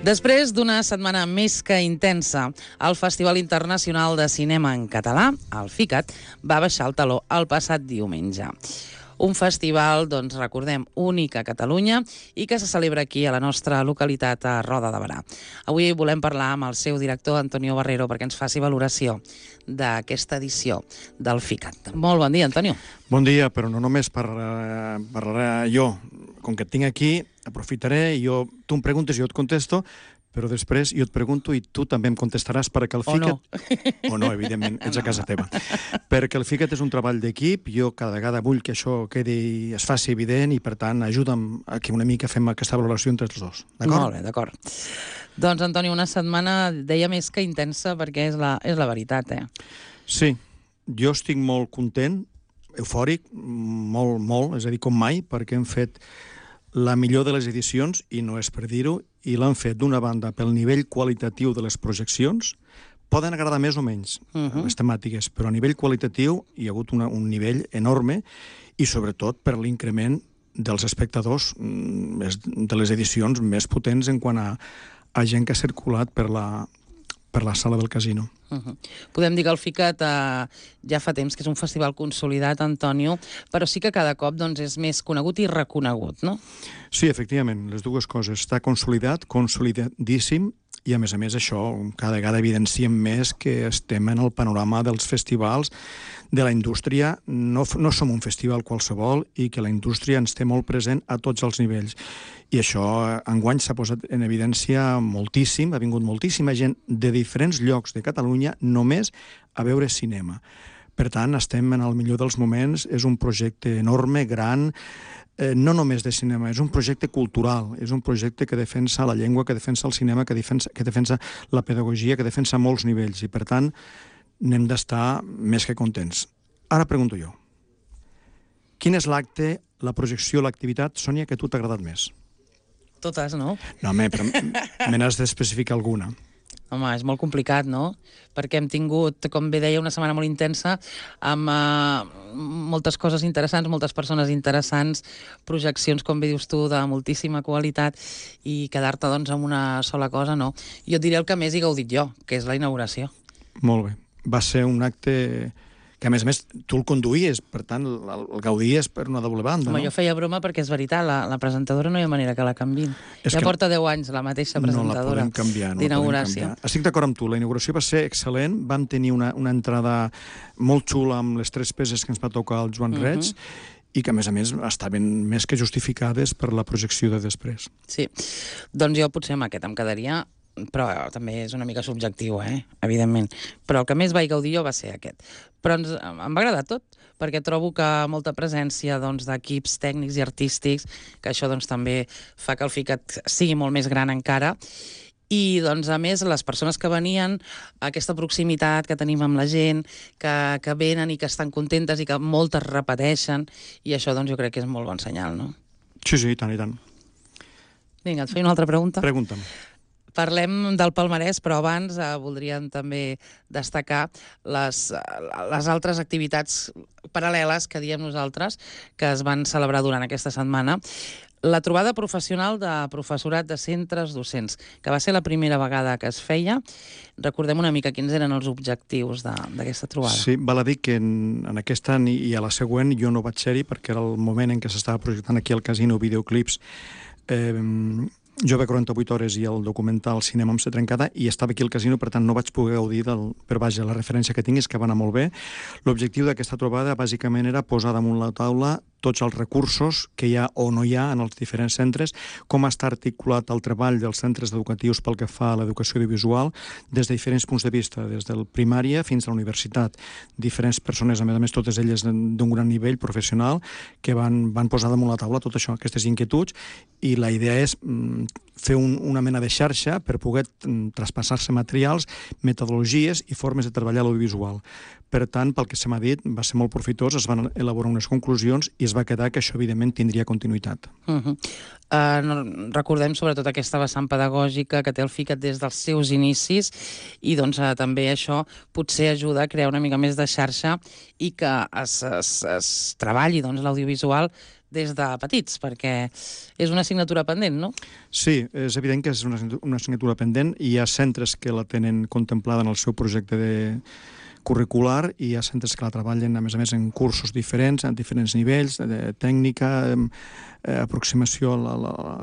Després d'una setmana més que intensa, el Festival Internacional de Cinema en Català, el FICAT, va baixar el teló el passat diumenge. Un festival, doncs, recordem, únic a Catalunya i que se celebra aquí, a la nostra localitat, a Roda de Berà. Avui volem parlar amb el seu director, Antonio Barrero, perquè ens faci valoració d'aquesta edició del FICAT. Molt bon dia, Antonio. Bon dia, però no només parlaré jo. Com que et tinc aquí, aprofitaré, tu em preguntes i jo et contesto, però després jo et pregunto i tu també em contestaràs perquè el FICAT... O no, evidentment, ets a casa teva. Perquè el FICAT és un treball d'equip, jo cada vegada vull que això es faci evident i, per tant, ajuda'm a que una mica fem aquesta valoració entre els dos. D'acord? Molt bé, d'acord. Doncs, Antoni, una setmana, deia, més que intensa, perquè és la veritat, Sí, jo estic molt content, eufòric, molt, és a dir, com mai, perquè hem fet la millor de les edicions, i no és per dir-ho, i l'han fet d'una banda pel nivell qualitatiu de les projeccions. Poden agradar més o menys les temàtiques, però a nivell qualitatiu hi ha hagut un nivell enorme i sobretot per l'increment dels espectadors de les edicions més potents en quant a gent que ha circulat per la sala del casino. Podem dir que el FICAT ja fa temps que és un festival consolidat, Antonio, però sí que cada cop és més conegut i reconegut, no? Sí, efectivament, les dues coses. Està consolidat, consolidadíssim, i a més això cada vegada evidenciem més que estem en el panorama dels festivals de la indústria. No som un festival qualsevol i que la indústria ens té molt present a tots els nivells. I això enguany s'ha posat en evidència moltíssim, ha vingut moltíssima gent de diferents llocs de Catalunya només a veure cinema. Per tant, estem en el millor dels moments, és un projecte enorme, gran, no només de cinema, és un projecte cultural, és un projecte que defensa la llengua, que defensa el cinema, que defensa la pedagogia, que defensa molts nivells, i per tant n'hem d'estar més que contents. Ara pregunto jo, quin és l'acte, la projecció, l'activitat, Sònia, que a tu t'ha agradat més? Totes, no? No, però me n'has d'especificar alguna. Home, és molt complicat, no? Perquè hem tingut, com bé deia, una setmana molt intensa amb moltes coses interessants, moltes persones interessants, projeccions, com bé dius tu, de moltíssima qualitat, i quedar-te, doncs, amb una sola cosa, no. Jo et diré el que més he gaudit jo, que és la inauguració. Molt bé. Va ser un acte que, a més, tu el conduïes, per tant, el gaudies per una doble banda, Home, no? jo feia broma perquè és veritat, la presentadora no hi ha manera que la canviïn. Ja porta 10 anys la mateixa presentadora d'inauguració. Estic d'acord amb tu, la inauguració va ser excel·lent, vam tenir una entrada molt xula amb les 3 peces que ens va tocar el Joan Reig, i que, a més, estaven més que justificades per la projecció de després. Sí, doncs jo potser amb aquest em quedaria, però també és una mica subjectiu, evidentment. Però el que més vaig gaudir jo va ser aquest. Però em va agradar tot, perquè trobo que molta presència d'equips tècnics i artístics, que això també fa que el FICAT sigui molt més gran encara, i, a més, les persones que venien, aquesta proximitat que tenim amb la gent, que venen i que estan contentes i que moltes repeteixen, i això, jo crec que és molt bon senyal, no? Sí, i tant, i tant. Vinga, et feia una altra pregunta? Pregunta'm. Parlem del palmarès, però abans voldríem també destacar les altres activitats paral·leles que diem nosaltres que es van celebrar durant aquesta setmana. La trobada professional de professorat de centres docents, que va ser la primera vegada que es feia. Recordem una mica quins eren els objectius d'aquesta trobada. Sí, val a dir que en aquesta i a la següent jo no vaig ser-hi perquè era el moment en què s'estava projectant aquí al casino videoclips Jove 48 hores i el documental Cinema amb sa trencada, i estava aquí al casino, per tant no vaig poder gaudir però vaja, la referència que tinc és que va anar molt bé. L'objectiu d'aquesta trobada bàsicament era posar damunt la taula tots els recursos que hi ha o no hi ha en els diferents centres, com està articulat el treball dels centres educatius pel que fa a l'educació audiovisual, des de diferents punts de vista, des del primària fins a la universitat. Diferents persones, a més, totes elles d'un gran nivell professional, que van posar damunt la taula tot això, aquestes inquietuds, i la idea és fer una mena de xarxa per poder traspassar-se materials, metodologies i formes de treballar l'audiovisual. Per tant, pel que se m'ha dit, va ser molt profitós, es van elaborar unes conclusions i es va quedar que això, evidentment, tindria continuïtat. Recordem sobretot aquesta vessant pedagògica que té el FICAT des dels seus inicis, i també això potser ajuda a crear una mica més de xarxa i que es treballi l'audiovisual des de petits, perquè és una assignatura pendent, no? Sí, és evident que és una assignatura pendent i hi ha centres que la tenen contemplada en el seu projecte curricular i hi ha centres que la treballen, a més, en cursos diferents, en diferents nivells, de tècnica, aproximació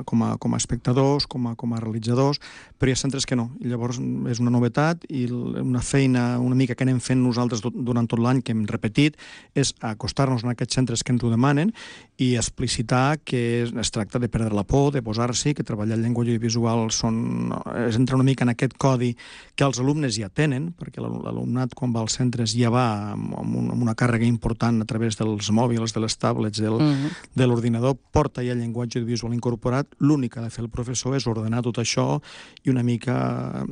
com a espectadors, com a realitzadors, però hi ha centres que no. I llavors és una novetat i una feina una mica que anem fent nosaltres durant tot l'any, que hem repetit, és acostar-nos en aquests centres que ens ho demanen i explicitar que es tracta de perdre la por, de posar-s'hi, que treballar llengua audiovisual és entrar una mica en aquest codi que els alumnes ja tenen, perquè l'alumnat quan va als centres ja va amb una càrrega important a través dels mòbils, de les tablets, de l'ordinador, porta ja el llenguatge audiovisual incorporat. L'únic que ha de fer el professor és ordenar tot això i una mica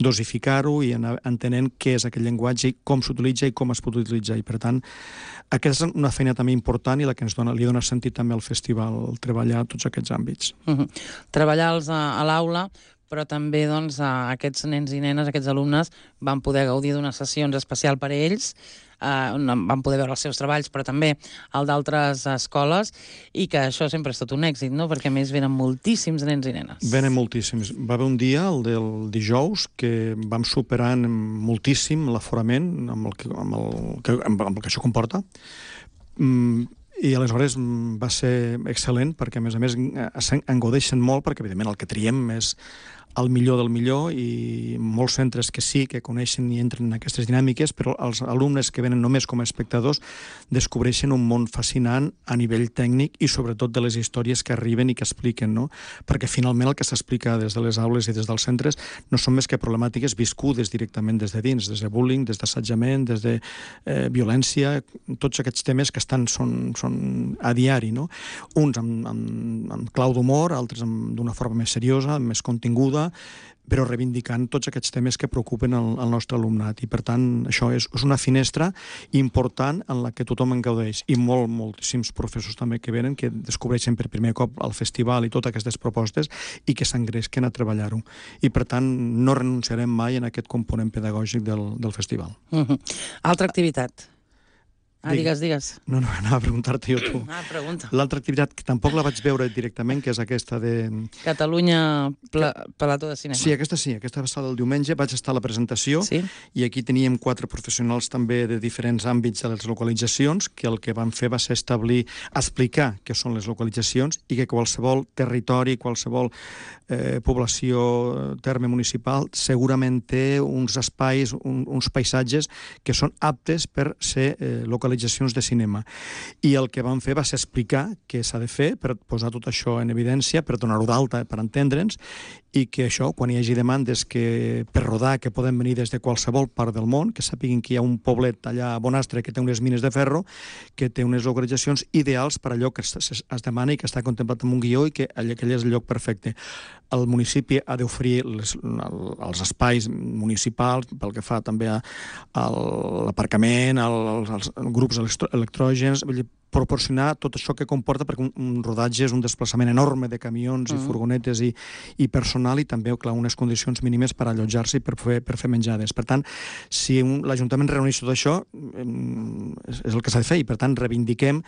dosificar-ho i anar entenent què és aquest llenguatge i com s'utilitza i com es pot utilitzar. I, per tant, aquesta és una feina també important i la que li dona sentit també al festival, treballar tots aquests àmbits. Treballar-los a l'aula, però també doncs, aquests nens i nenes, aquests alumnes, van poder gaudir d'unes sessions especials per a ells, on van poder veure els seus treballs, però també el d'altres escoles, i que això sempre és tot un èxit, no? Perquè a més venen moltíssims nens i nenes. Venen moltíssims. Va haver un dia, el del dijous, que vam superar moltíssim l'aforament amb el que això comporta. I aleshores va ser excel·lent, perquè a més en gaudeixen molt, perquè evidentment el que triem és el millor del millor, i molts centres que sí que coneixen i entren en aquestes dinàmiques, però els alumnes que venen només com a espectadors descobreixen un món fascinant a nivell tècnic i sobretot de les històries que arriben i que expliquen, no? Perquè finalment el que s'explica des de les aules i des dels centres no són més que problemàtiques viscudes directament des de dins, des de bullying, des d'assetjament, des de violència, tots aquests temes que són a diari, no? Uns amb clau d'humor, altres d'una forma més seriosa, més continguda, però reivindicant tots aquests temes que preocupen el nostre alumnat. I, per tant, això és una finestra important en la que tothom en gaudeix. I moltíssims professors també que venen, que descobreixen per primer cop el festival i totes aquestes propostes i que s'engresquen a treballar-ho. I, per tant, no renunciarem mai en aquest component pedagògic del festival. Altra activitat. Digues. No, anava a preguntar-te jo tu. Pregunta. L'altra activitat, que tampoc la vaig veure directament, que és aquesta de... Catalunya Plató de Cinema. Sí, aquesta va estar el diumenge, vaig estar a la presentació, sí? I aquí teníem 4 professionals també de diferents àmbits de les localitzacions, que el que van fer va ser explicar què són les localitzacions i que qualsevol territori, qualsevol població, terme municipal, segurament té uns espais, uns paisatges que són aptes per ser localitzacions de cinema. I el que vam fer va ser explicar què s'ha de fer per posar tot això en evidència, per donar-ho d'alta, per entendre'ns, i que això, quan hi hagi demandes per rodar, que poden venir des de qualsevol part del món, que sàpiguen que hi ha un poblet allà a Bonastre que té unes mines de ferro, que té unes localitzacions ideals per allò que es demana i que està contemplat en un guió i que aquell és el lloc perfecte. El municipi ha d'oferir els espais municipals pel que fa també a l'aparcament, als grups electrògens, vull dir, proporcionar tot això que comporta, perquè un rodatge és un desplaçament enorme de camions i furgonetes i personal, i també, clar, unes condicions mínimes per allotjar-se i per fer menjades. Per tant, si l'Ajuntament reuneix tot això, és el que s'ha de fer, i per tant reivindiquem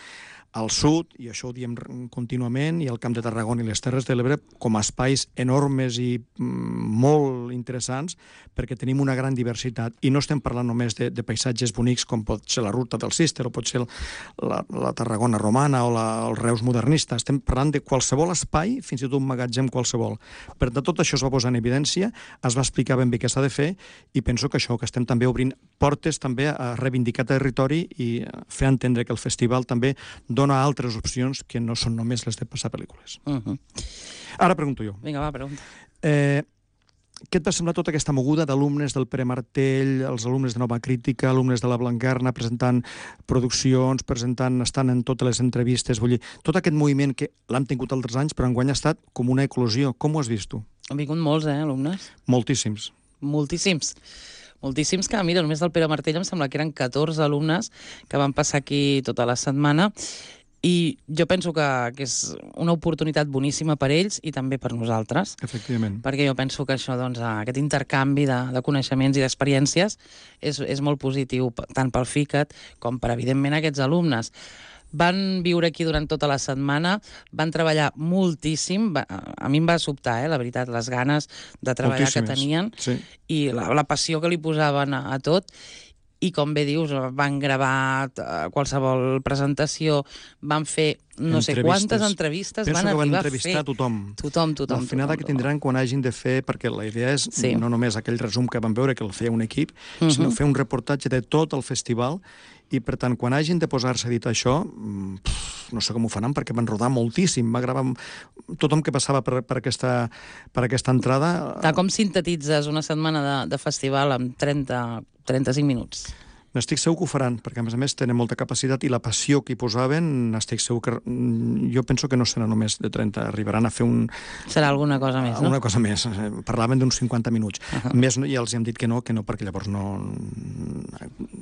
al sud, i això ho diem contínuament, i al Camp de Tarragona i les Terres de l'Ebre, com a espais enormes i molt interessants, perquè tenim una gran diversitat. I no estem parlant només de paisatges bonics com pot ser la Ruta del Císter o pot ser la Tarragona romana o el Reus modernista. Estem parlant de qualsevol espai, fins i tot un magatzem qualsevol. Per tant, tot això es va posar en evidència, es va explicar ben bé què s'ha de fer, i penso que això, que estem també obrint portes també a reivindicar territori i fer entendre que el festival també dona altres opcions que no són només les de passar pel·lícules. Ara pregunto jo. Vinga, va, pregunta. Què et va semblar tota aquesta moguda d'alumnes del Pere Martell, els alumnes de Nova Crítica, alumnes de la Blanquerna, presentant produccions, estant en totes les entrevistes, vull dir, tot aquest moviment que l'han tingut altres anys, però enguany ha estat com una eclosió. Com ho has vist tu? Han vingut molts, alumnes? Moltíssims. Moltíssims, que, mira, només del Pere Martell em sembla que eren 14 alumnes que van passar aquí tota la setmana, i jo penso que és una oportunitat boníssima per ells i també per nosaltres. Efectivament. Perquè jo penso que això, doncs, aquest intercanvi de coneixements i d'experiències és molt positiu, tant pel FICAT com per, evidentment, aquests alumnes. Van viure aquí durant tota la setmana, van treballar moltíssim, a mi em va sobtar, la veritat, les ganes de treballar que tenien i la passió que li posaven a tot. I com bé dius, van gravar qualsevol presentació, van fer no sé quantes entrevistes, van arribar a fer... Penso que van entrevistar tothom. Tothom. L'afinada que tindran quan hagin de fer, perquè la idea és no només aquell resum que van veure, que el feia un equip, sinó fer un reportatge de tot el festival, i per tant, quan hagin de posar-se a editar això, no sé com ho faran, perquè van rodar moltíssim, va gravar tothom que passava per aquesta entrada. Com sintetitzes una setmana de festival amb 35 minuts? N'estic segur que ho faran, perquè a més tenen molta capacitat i la passió que hi posaven, estic segur que... Jo penso que no serà només de 30, arribaran a fer un... Serà alguna cosa més, no? Alguna cosa més. Parlaven d'uns 50 minuts. Més ja els hem dit que no, perquè llavors no...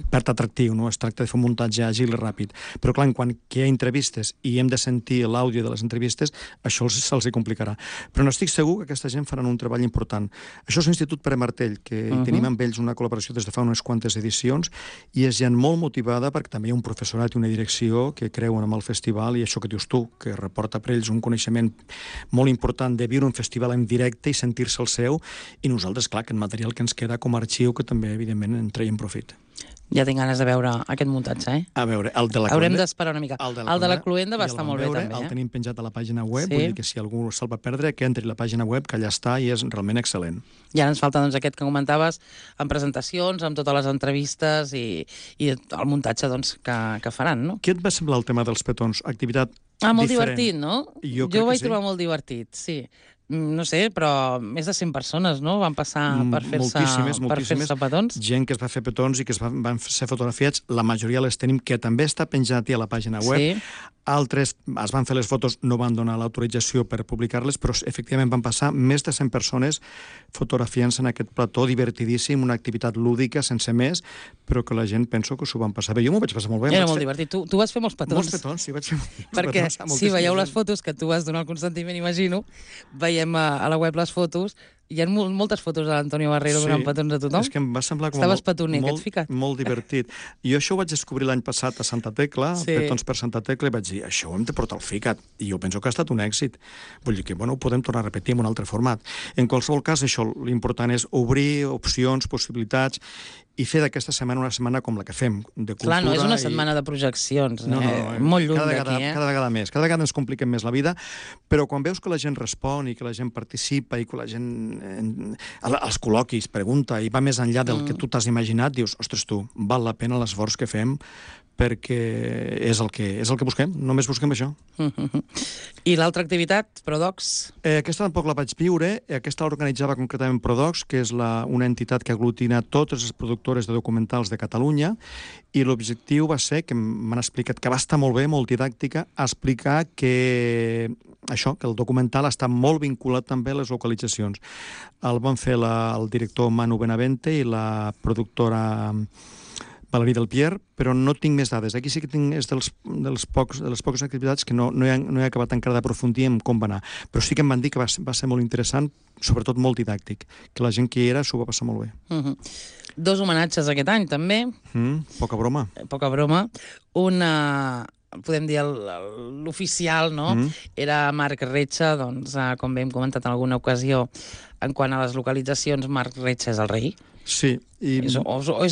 perd atractiu, no? Es tracta de fer un muntatge àgil i ràpid. Però clar, quan hi ha entrevistes i hem de sentir l'àudio de les entrevistes, això se'ls complicarà. Però no estic segur que aquesta gent faran un treball important. Això és l'Institut Pere Martell, que tenim amb ells una col·laboració des de fa unes quantes edicions, i és gent molt motivada perquè també hi ha un professorat i una direcció que creuen en el festival i això que dius tu, que reporta per ells un coneixement molt important de viure un festival en directe i sentir-se el seu, i nosaltres, clar, que el material que ens queda com a arxiu que també, evidentment, en traiem profit. Ja tinc ganes de veure aquest muntatge, A veure, el de la Cluenda... Haurem d'esperar una mica. El de la Cluenda va estar molt bé, també. El tenim penjat a la pàgina web, vull dir que si algú se'l va perdre, que entri a la pàgina web, que allà està i és realment excel·lent. I ara ens falta doncs, aquest que comentaves, amb presentacions, amb totes les entrevistes i el muntatge doncs, que faran, no? Què et va semblar el tema dels petons? Activitat molt diferent. Divertit, no? Jo ho vaig trobar molt divertit, sí. No sé, però més de 100 persones, no?, van passar per fer-se petons. Gent que es va fer petons i que van ser fotografiats, la majoria les tenim, que també està penjat a la pàgina web. Sí. Altres es van fer les fotos, no van donar l'autorització per publicar-les, però efectivament van passar més de 100 persones fotografiant-se en aquest plató divertidíssim, una activitat lúdica, sense més, però que la gent penso que s'ho van passar bé. Jo m'ho vaig passar molt bé. Era molt divertit. Tu vas fer molts petons. Molts petons, sí, vaig fer molts petons. Perquè si veieu les fotos que tu vas donar el consentiment, imagino, veiem a la web les fotos, hi ha moltes fotos de l'Antonio Barrero donant petons a tothom. És que em va semblar com estaves petoner, que ets ficat. Molt divertit. Jo això ho vaig descobrir l'any passat a Santa Tecla, petons per Santa Tecla, i vaig dir, això ho hem de portar al FICAT. I jo penso que ha estat un èxit. Vull dir que, ho podem tornar a repetir en un altre format. En qualsevol cas, això, l'important és obrir opcions, possibilitats, i fer d'aquesta setmana una setmana com la que fem, de cultura. Clar, no és una setmana de projeccions, molt lluny d'aquí. Cada vegada més. Cada vegada ens compliquem més la vida, però quan veus que la gent respon i que la gent participa i que la gent als col·loquis pregunta i va més enllà del que tu t'has imaginat, dius, ostres tu, val la pena l'esforç que fem perquè és el que busquem, només busquem això. I l'altra activitat, Prodocs? Aquesta tampoc la vaig viure, aquesta l'organitzava concretament Prodocs, que és una entitat que aglutina totes les productores de documentals de Catalunya, i l'objectiu va ser, que m'han explicat que va estar molt bé, molt didàctica, explicar que que el documental està molt vinculat també a les localitzacions. El van fer el director Manu Benavente i la productora Valerí del Pierre, però no tinc més dades. Aquí sí que és de les poques activitats que no he acabat encara d'aprofundir en com va anar. Però sí que em van dir que va ser molt interessant, sobretot molt didàctic, que la gent que hi era s'ho va passar molt bé. 2 homenatges aquest any, també. Poca broma. Poca broma. Podem dir l'oficial, no? Era Marc Retxa, doncs, com bé hem comentat en alguna ocasió, en quant a les localitzacions, Marc Retxa és el rei. Sí. És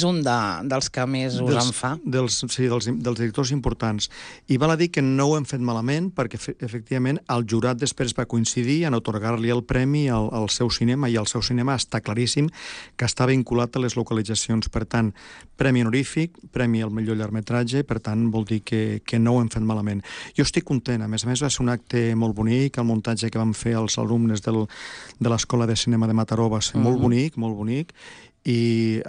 un dels que més us en fa? Sí, dels directors importants. I val a dir que no ho hem fet malament, perquè efectivament el jurat després va coincidir en atorgar-li el premi al seu cinema, i el seu cinema està claríssim que està vinculat a les localitzacions. Per tant, premi honorífic, premi al millor llargmetratge, per tant vol dir que no ho hem fet malament. Jo estic content, a més va ser un acte molt bonic, el muntatge que vam fer els alumnes de l'Escola de Cinema de Mataró va ser molt bonic, i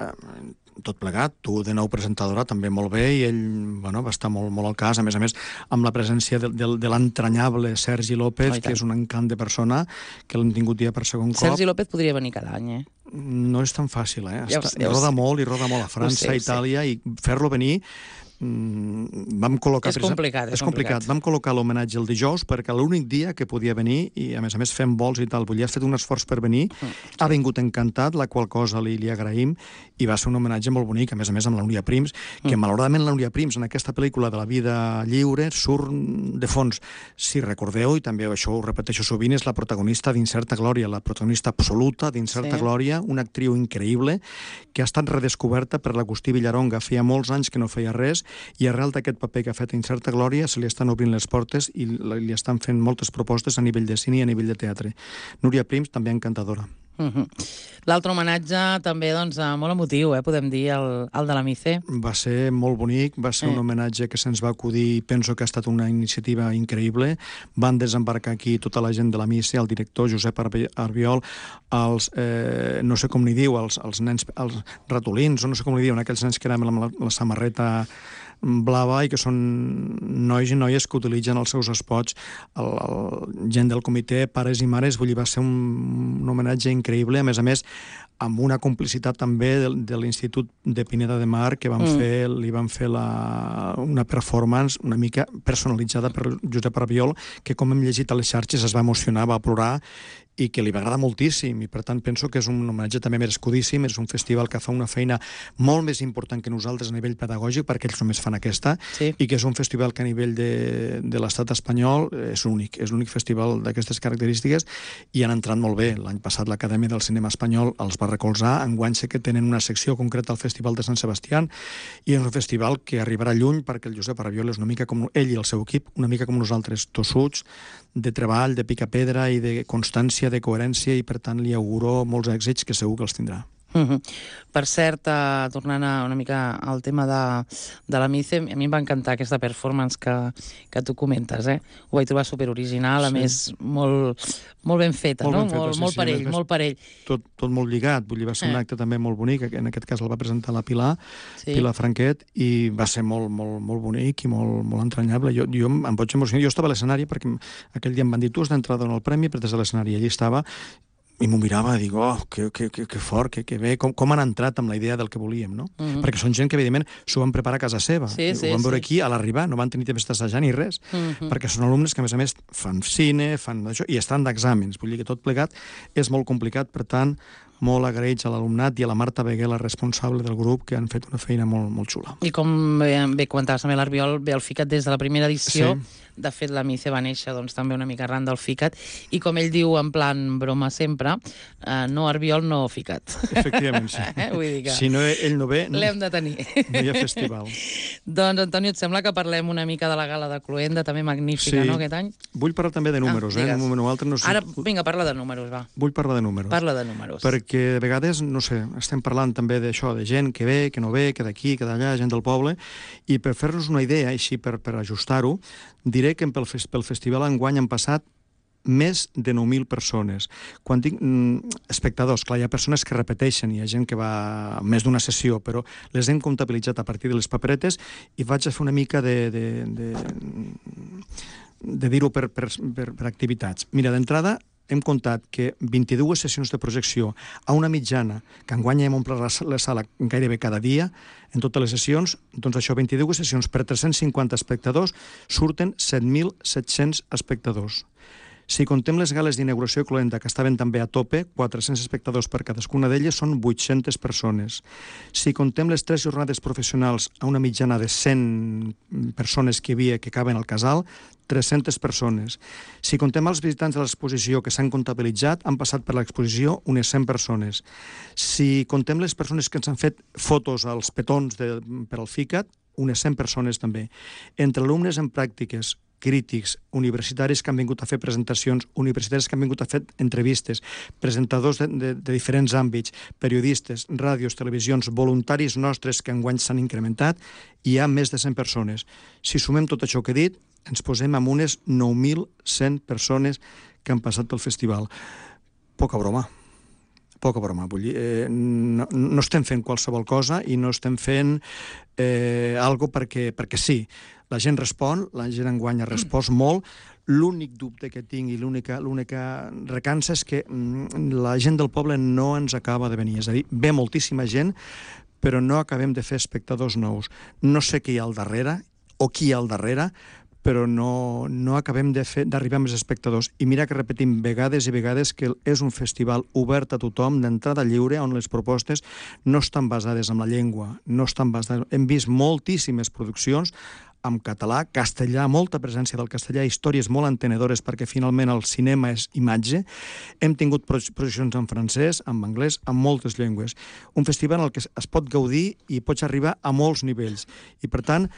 tot plegat, tu de nou presentadora també molt bé, i ell va estar molt al cas, a més amb la presència de l'entranyable Sergi López, que és un encant de persona, que l'hem tingut dia per segon cop. Sergi López podria venir cada any, No és tan fàcil, roda molt a França, a Itàlia, i fer-lo venir vam col·locar... És complicat, és complicat. Vam col·locar l'homenatge el dijous perquè l'únic dia que podia venir, i a més fem vols i tal, ha fet un esforç per venir, ha vingut encantat, la qual cosa li agraïm, i va ser un homenatge molt bonic, a més amb la Núria Prims, que malauradament la Núria Prims en aquesta pel·lícula de la vida lliure surt de fons. Si recordeu, i també això ho repeteixo sovint, és la protagonista d'Incerta Glòria, la protagonista absoluta d'Incerta Glòria, una actriu increïble que ha estat redescoberta per l'Agustí Villaronga. Feia molts anys que no feia res, i arrel d'aquest paper que ha fet a Incerta Glòria se li estan obrint les portes i li estan fent moltes propostes a nivell de cine i a nivell de teatre. Núria Prims, també encantadora. L'altre homenatge també, doncs, molt emotiu, podem dir, el de la Mice. Va ser molt bonic, va ser un homenatge que se'ns va acudir, penso que ha estat una iniciativa increïble. Van desembarcar aquí tota la gent de la Mice, el director Josep Arbiol, els, no sé com n'hi diu, els nens, els ratolins, o no sé com n'hi diuen, aquells nens que eren amb la samarreta blava i que són nois i noies que utilitzen els seus espots, gent del comitè, pares i mares, vull dir, va ser un homenatge increïble, a més, amb una complicitat també de l'Institut de Pineda de Mar, que li van fer una performance una mica personalitzada per Josep Arbiol, que com hem llegit a les xarxes es va emocionar, va plorar, i que li va agradar moltíssim, i per tant penso que és un homenatge també merescudíssim, és un festival que fa una feina molt més important que nosaltres a nivell pedagògic, perquè ells només fan aquesta, i que és un festival que a nivell de l'estat espanyol és l'únic festival d'aquestes característiques, i han entrat molt bé. L'any passat l'Acadèmia del Cinema Espanyol els va recolzar, enguany sé que tenen una secció concreta al Festival de Sant Sebastià, i és un festival que arribarà lluny perquè el Josep Arbiol és una mica com ell i el seu equip, una mica com nosaltres, tossuts, de treball, de picapedra i de constància, de coherència, i per tant li auguro molts èxits que segur que els tindrà. Per cert, tornant una mica al tema de la Mice, a mi em va encantar aquesta performance que tu comentes, Ho vaig trobar superoriginal, a més, molt ben feta, no? Molt parell, molt parell. Tot molt lligat, vull dir, va ser un acte també molt bonic, en aquest cas el va presentar la Pilar Franquet, i va ser molt bonic i molt entranyable. Jo em vaig emocionar, jo estava a l'escenari perquè aquell dia em van dir, tu has d'entrar a donar el premi, però des de l'escenari allí estava, i m'ho mirava i dic, que fort, que bé, com han entrat amb la idea del que volíem, no? Perquè són gent que, evidentment, s'ho van preparar a casa seva. Ho van veure aquí a l'arribar, no van tenir temps d'assajar ni res, perquè són alumnes que, a més, fan cine, fan això, i estan d'exàmens. Vull dir que tot plegat és molt complicat, per tant, molt agraïts a l'alumnat i a la Marta Beguer, la responsable del grup, que han fet una feina molt xula. I com bé comentaves també l'Arbiol, ve el FICAT des de la primera edició. De fet, la Mice va néixer també una mica arran del FICAT, i com ell diu en plan broma sempre, no Arbiol, no FICAT. Efectivament, sí. Vull dir que si no ell no ve, l'hem de tenir. No hi ha festival. Doncs, Antonio, et sembla que parlem una mica de la gala de Cluenda, també magnífica, no, aquest any? Vull parlar també de números, un moment o altre. No sé. Ara, vinga, parla de números, va. Vull parlar de números. Parla de números. Perquè de vegades, no sé, estem parlant també d'això, de gent que ve, que no ve, que d'aquí, que d'allà, gent del poble, i per fer-nos una idea, així per ajustar-ho, diré que pel festival enguany han passat més de 9.000 persones. Quan dic espectadors, clar, hi ha persones que repeteixen, hi ha gent que va a més d'una sessió, però les hem comptabilitzat a partir de les paperetes i vaig a fer una mica de dir-ho per activitats. Mira, d'entrada, hem comptat que 22 sessions de projecció a una mitjana, que enguany hem omplert la sala gairebé cada dia, en totes les sessions, doncs això, 22 sessions per 350 espectadors, surten 7.700 espectadors. Si contem les gales d'inauguració Cluenda, que estaven també a tope, 400 espectadors per cadascuna d'elles, són 800 persones. Si contem les 3 jornades professionals a una mitjana de 100 persones que hi havia que caben al casal, 300 persones. Si contem els visitants de l'exposició que s'han comptabilitzat, han passat per l'exposició unes 100 persones. Si contem les persones que ens han fet fotos als petons per al FICAT, unes 100 persones també. Entre alumnes en pràctiques, crítics, universitaris que han vingut a fer presentacions, universitaris que han vingut a fer entrevistes, presentadors de diferents àmbits, periodistes, ràdios, televisions, voluntaris nostres que enguany s'han incrementat, hi ha més de 100 persones. Si sumem tot això que he dit, ens posem amb unes 9.100 persones que han passat pel festival. Poca broma, vull dir, no estem fent qualsevol cosa i no estem fent algo perquè sí. La gent respon, la gent enguany ha respost molt. L'únic dubte que tinc i l'única recança és que la gent del poble no ens acaba de venir. És a dir, ve moltíssima gent, però no acabem de fer espectadors nous. No sé qui hi ha al darrere, o qui hi ha al darrere, però no acabem d'arribar a més espectadors. I mira que repetim vegades i vegades que és un festival obert a tothom, d'entrada lliure, on les propostes no estan basades en la llengua, no estan basades... Hem vist moltíssimes produccions en català, castellà, molta presència del castellà, històries molt entenedores perquè finalment el cinema és imatge. Hem tingut projeccions en francès, en anglès, en moltes llengües. Un festival en el que es pot gaudir i pots arribar a molts nivells. I per tant,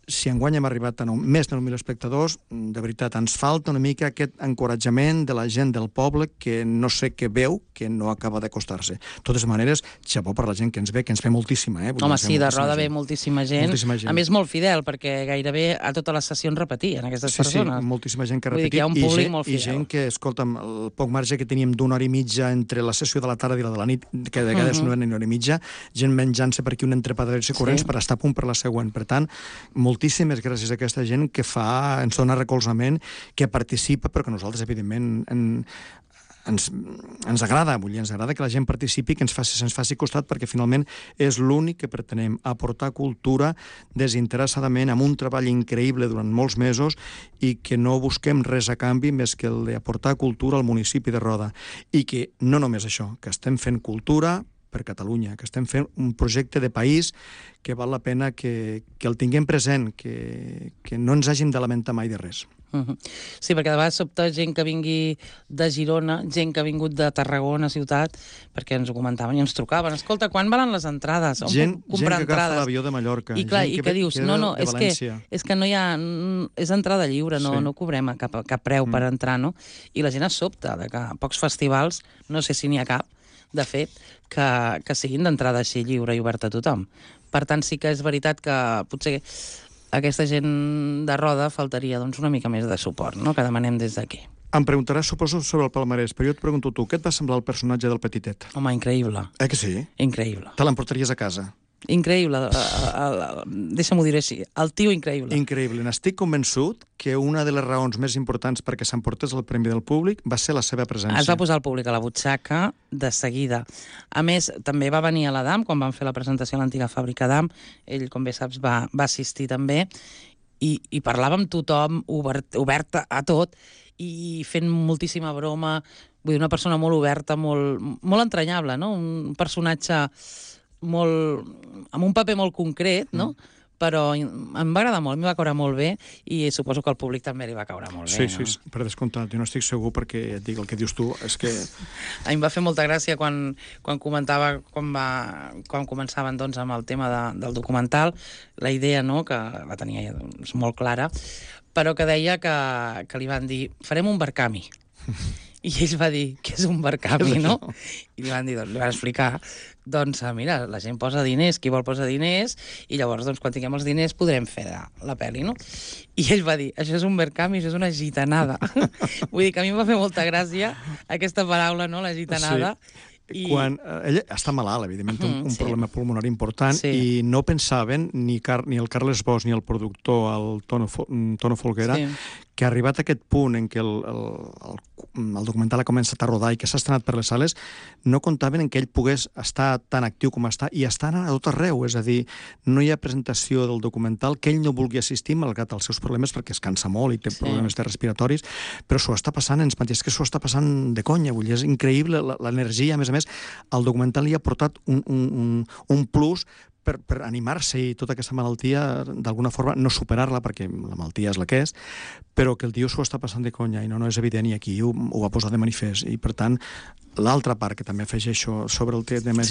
si enguany hem arribat a més de 9.000 espectadors, de veritat, ens falta una mica aquest encoratjament de la gent del poble que no sé què veu, que no acaba d'acostar-se. De totes maneres, xapó per la gent que ens ve, que ens ve moltíssima. Home, sí, de Roda ve moltíssima gent. A més, molt fidel, perquè gairebé a totes les sessions repetien aquestes persones. Sí, moltíssima gent que ha repetit. Vull dir que hi ha un públic molt fidel. I gent que, escolta'm, el poc marge que teníem d'una hora i mitja entre la sessió de la tarda i la de la nit, que de vegades no era ni una hora i mitja, gent menjant-se per aquí un entrepà de corrents per estar a punt per la següent. Per tant, moltíssimes gràcies a aquesta gent que ens dona recolzament, que participa, però que nosaltres, evidentment, ens agrada, ens agrada que la gent participi, que se'ns faci costat, perquè finalment és l'únic que pretenem, aportar cultura desinteressadament, amb un treball increïble durant molts mesos, i que no busquem res a canvi més que el d'aportar cultura al municipi de Roda. I que no només això, que estem fent cultura per Catalunya, que estem fent un projecte de país que val la pena que el tinguem present, que no ens hàgim de lamentar mai de res. Sí, perquè de vegades sobta gent que vingui de Girona, gent que ha vingut de Tarragona, ciutat, perquè ens ho comentaven i ens trucaven. Escolta, quan valen les entrades? Gent que agafa l'avió de Mallorca. I clar, i que dius, és que no hi ha... És entrada lliure, no cobrem cap preu per entrar, no? I la gent es sobta de que a pocs festivals, no sé si n'hi ha cap, de fet, que siguin d'entrada així lliure i oberta a tothom. Per tant, sí que és veritat que potser aquesta gent de Roda faltaria una mica més de suport, no?, que demanem des d'aquí. Em preguntaràs, suposo, sobre el palmarès, però jo et pregunto tu, què et va semblar el personatge del Petitet? Home, increïble. Que sí? Increïble. Te l'emportaries a casa? Increïble, deixa'm-ho dir així, el tio increïble. Increïble, n'estic convençut que una de les raons més importants perquè s'emportés el Premi del Públic va ser la seva presència. Es va posar el públic a la butxaca de seguida. A més, també va venir a l'Adam, quan van fer la presentació a l'antiga fàbrica d'Adam, ell, com bé saps, va assistir també, i parlava amb tothom, oberta a tot, i fent moltíssima broma, vull dir, una persona molt oberta, molt entranyable, no? Un personatge amb un paper molt concret, no? Però em va agradar molt, m'hi va caure molt bé, i suposo que al públic també li va caure molt bé. Sí, per descomptat, jo no estic segur, perquè et dic el que dius tu, és que... A mi em va fer molta gràcia quan comentava, quan començaven amb el tema del documental, la idea, no?, que la tenia molt clara, però que deia que li van dir, farem un barcami. I ell va dir, què és un barcami, no? I li van explicar, mira, la gent posa diners, qui vol posar diners, i llavors, quan tinguem els diners, podrem fer la pel·li, no? I ell va dir, això és un barcami, això és una gitanada. Vull dir que a mi em va fer molta gràcia aquesta paraula, no?, la gitanada. Sí. Quan ell està malalt, evidentment, té un problema pulmonar important, i no pensaven, ni el Carles Bosch ni el productor, el Tono Folguera, que ha arribat a aquest punt en què el documental ha començat a rodar i que s'ha estrenat per les sales, no comptaven en que ell pogués estar tan actiu com està, i està anant a tot arreu, és a dir, no hi ha presentació del documental que ell no vulgui assistir, malgrat els seus problemes, perquè es cansa molt i té problemes respiratoris, però s'ho està passant, ens mateix que s'ho està passant de conya, vull dir, és increïble l'energia, a més, el documental li ha portat un plus per animar-se, i tota aquesta malaltia, d'alguna forma, no superar-la, perquè la malaltia és la que és, però que el tio s'ho està passant de conya, i no és evident, i aquí ho va posar de manifest. I, per tant, l'altra part que també afegeixo sobre el tema,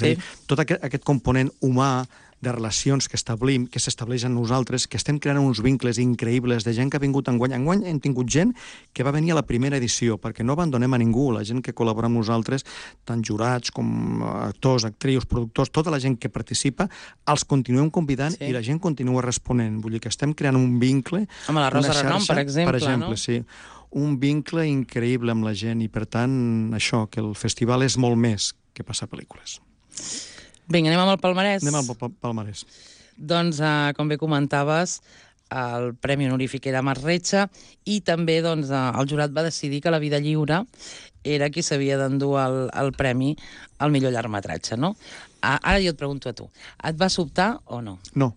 tot aquest component humà de relacions que s'estableixen nosaltres, que estem creant uns vincles increïbles de gent que ha vingut enguany. Enguany hem tingut gent que va venir a la primera edició, perquè no abandonem a ningú, la gent que col·labora amb nosaltres, tant jurats com actors, actrius, productors, tota la gent que participa, els continuem convidant i la gent continua responent. Vull dir que estem creant un vincle, amb la Rosa Renom, per exemple, no? Sí, un vincle increïble amb la gent, i per tant, això, que el festival és molt més que passar pel·lícules. Vinga, anem amb el palmarès. Anem amb el palmarès. Doncs, com bé comentaves, el Premi Honorífic era Marc Retxa, i també el jurat va decidir que La vida lliure era qui s'havia d'endur el premi al millor llargmetratge, no? Ara jo et pregunto a tu, et va sobtar o no? No.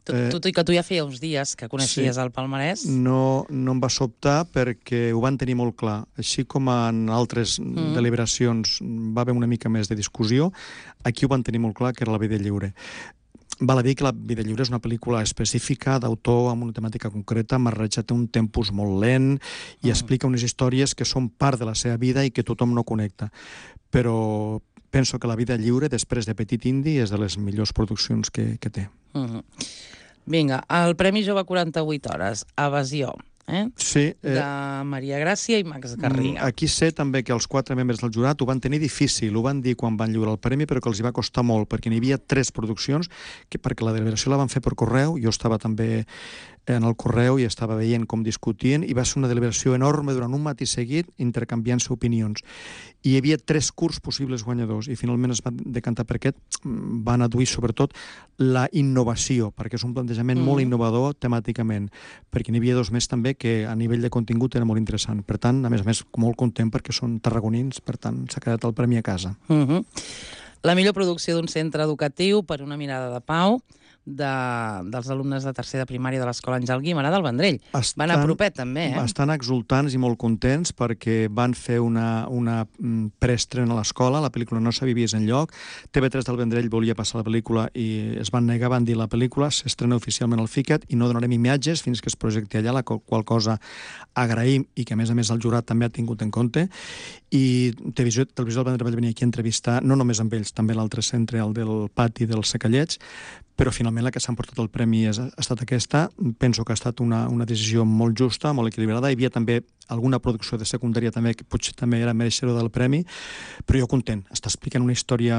Tot i que tu ja feia uns dies que coneixies el palmarès. No em va sobtar perquè ho van tenir molt clar. Així com en altres deliberacions va haver una mica més de discussió, aquí ho van tenir molt clar que era La vida lliure. Val a dir que La vida lliure és una pel·lícula específica, d'autor, amb una temàtica concreta, Marreja té un tempus molt lent i explica unes històries que són part de la seva vida i que tothom no connecta. Però penso que La vida lliure, després de Petit Indi, és de les millors produccions que té. Vinga, el Premi Jove 48 hores, Evasió, Sí. de Maria Gràcia i Max Garriga. Aquí sé també que els 4 membres del jurat ho van tenir difícil, ho van dir quan van lliurar el premi, però que els hi va costar molt, perquè n'hi havia 3 produccions, perquè la deliberació la van fer per correu, jo estava també en el correu i estava veient com discutien, i va ser una deliberació enorme durant un matí seguit, intercanviant-se opinions. I hi havia 3 curts possibles guanyadors, i finalment es va decantar per aquest. Van adduir sobretot la innovació, perquè és un plantejament molt innovador temàticament, perquè n'hi havia 2 més també que a nivell de contingut era molt interessant. Per tant, a més, molt content perquè són tarragonins, per tant, s'ha quedat el premi a casa. La millor producció d'un centre educatiu per una mirada de pau, dels alumnes de tercer de primària de l'escola Àngel Guimerà del Vendrell. Van a propet, també, Estan exultants i molt contents perquè van fer una preestrena a l'escola, la pel·lícula no s'havia vist enlloc, TV3 del Vendrell volia passar la pel·lícula i es van negar, van dir la pel·lícula s'estrena oficialment al FICAT i no donarem imatges fins que es projecti allà, la qual cosa agraïm i que a més el jurat també ha tingut en compte. I Televisió del Vendrell va venir aquí a entrevistar, no només amb ells, també l'altre centre, el del pati dels Secallets, però finalment la que s'ha emportat el premi ha estat aquesta. Penso que ha estat una decisió molt justa, molt equilibrada. Hi havia també alguna producció de secundària també que potser també era mereixedor del premi, però jo content. Està explicant una història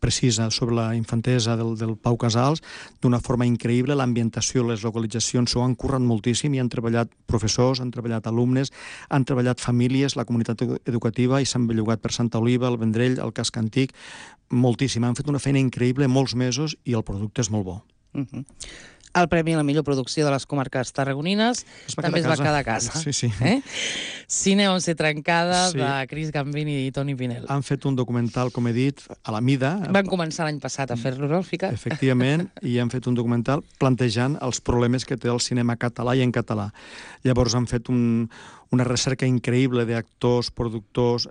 precisa sobre la infantesa del Pau Casals d'una forma increïble. L'ambientació, les localitzacions s'ho han currat moltíssim i han treballat professors, han treballat alumnes, han treballat famílies, la comunitat educativa i s'han bellugat per Santa Oliva, el Vendrell, el Casc Antic, moltíssim. Han fet una feina increïble molts mesos i el producte és molt bo. El premi a la millor producció de les comarques tarragonines també es va quedar a casa. Sí. Cine 11 trencada, de Cris Gambini i Toni Pinel. Han fet un documental, com he dit, a la mida. Van començar l'any passat a fer-lo al FICAT. Efectivament, i han fet un documental plantejant els problemes que té el cinema català i en català. Llavors han fet una recerca increïble d'actors, productors,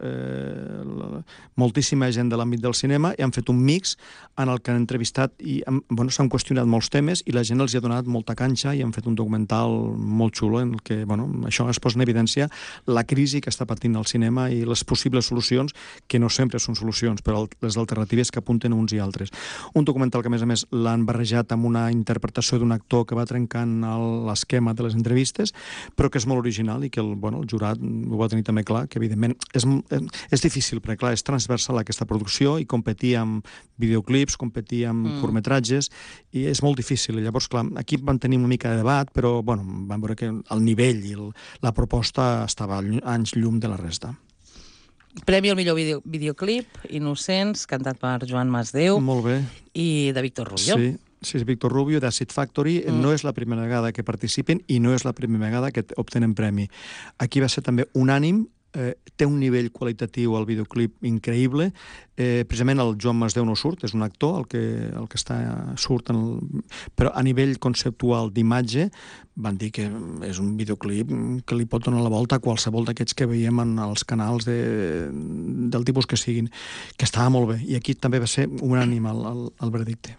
moltíssima gent de l'àmbit del cinema, i han fet un mix en el que han entrevistat i s'han qüestionat molts temes i la gent els ha donat molta canxa i han fet un documental molt xulo en el que això es posa en evidència la crisi que està patint el cinema i les possibles solucions, que no sempre són solucions, però les alternatives que apunten uns i altres. Un documental que, a més, l'han barrejat amb una interpretació d'un actor que va trencant l'esquema de les entrevistes, però que és molt original i que el jurat ho va tenir també clar, que evidentment és difícil, perquè clar, és transversal aquesta producció i competir amb videoclips, competir amb curtmetratges, i és molt difícil. Llavors, clar, aquí van tenir una mica de debat, però van veure que el nivell i la proposta estava anys llum de la resta. Premi al millor videoclip, Innocents, cantat per Joan Masdeu. Molt bé. I de Víctor Rubio. Sí, Víctor Rubio, d'Acid Factory. No és la primera vegada que participen i no és la primera vegada que obtenen premi. Aquí va ser també unànim, té un nivell qualitatiu al videoclip increïble. Precisament el Joan Masdeu no surt, és un actor el que surt, però a nivell conceptual d'imatge van dir que és un videoclip que li pot donar la volta a qualsevol d'aquests que veiem en els canals del tipus que siguin, que estava molt bé, i aquí també va ser unànime el veredicte.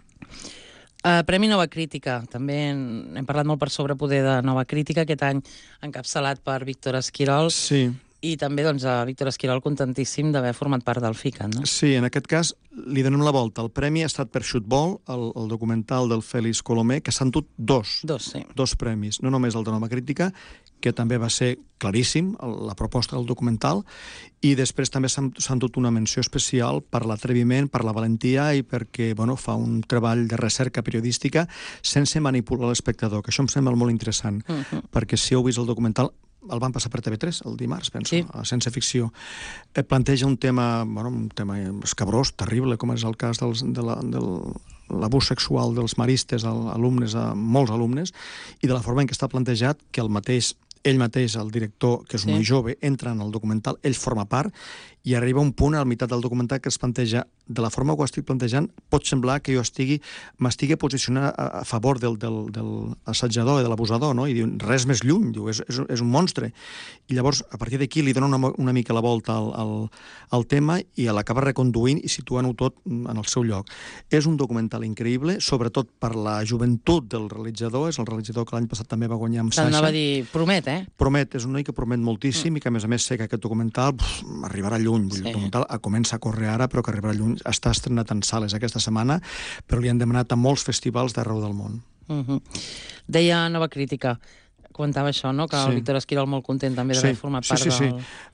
Premi Nova Crítica. També hem parlat molt per sobre poder de Nova Crítica, aquest any encapçalat per Víctor Esquirol. Sí. I també a Víctor Esquirol contentíssim d'haver format part del FICAT, no? Sí, en aquest cas li donem la volta. El premi ha estat per Xutbol, el documental del Félix Colomer, que s'han dut dos premis, no només el de Nova Crítica, que també va ser claríssim, la proposta del documental, i després també s'han dut una menció especial per l'atreviment, per la valentia i perquè fa un treball de recerca periodística sense manipular l'espectador, que això em sembla molt interessant, perquè si heu vist el documental, el van passar per TV3 el dimarts, penso, a Sense Ficció. Planteja un tema escabrós, terrible, com és el cas de l'abús sexual dels maristes a molts alumnes, i de la forma en què està plantejat, que el mateix ell mateix, el director, que és un noi jove, entra en el documental, ell forma part, i arriba un punt a la meitat del documental que es planteja, de la forma que ho estic plantejant, pot semblar que jo m'estigui posicionant a favor del assetjador i de l'abusador, no? I diu, res més lluny, diu, és un monstre. I llavors, a partir d'aquí, li dona una mica la volta al tema i l'acaba reconduint i situant-ho tot en el seu lloc. És un documental increïble, sobretot per la joventut del realitzador, és el realitzador que l'any passat també va guanyar amb Sasha. T'anava a dir, promet, eh? Promet, és un noi que promet moltíssim i que, a més, sé que aquest documental arribarà lluny. El documental comença a córrer ara, però que arribarà lluny. Està estrenat en sales aquesta setmana, però li han demanat a molts festivals d'arreu del món. Deia Nova Crítica, comentava això, no? Que el Víctor Esquirol molt content també d'haver format part del... Sí.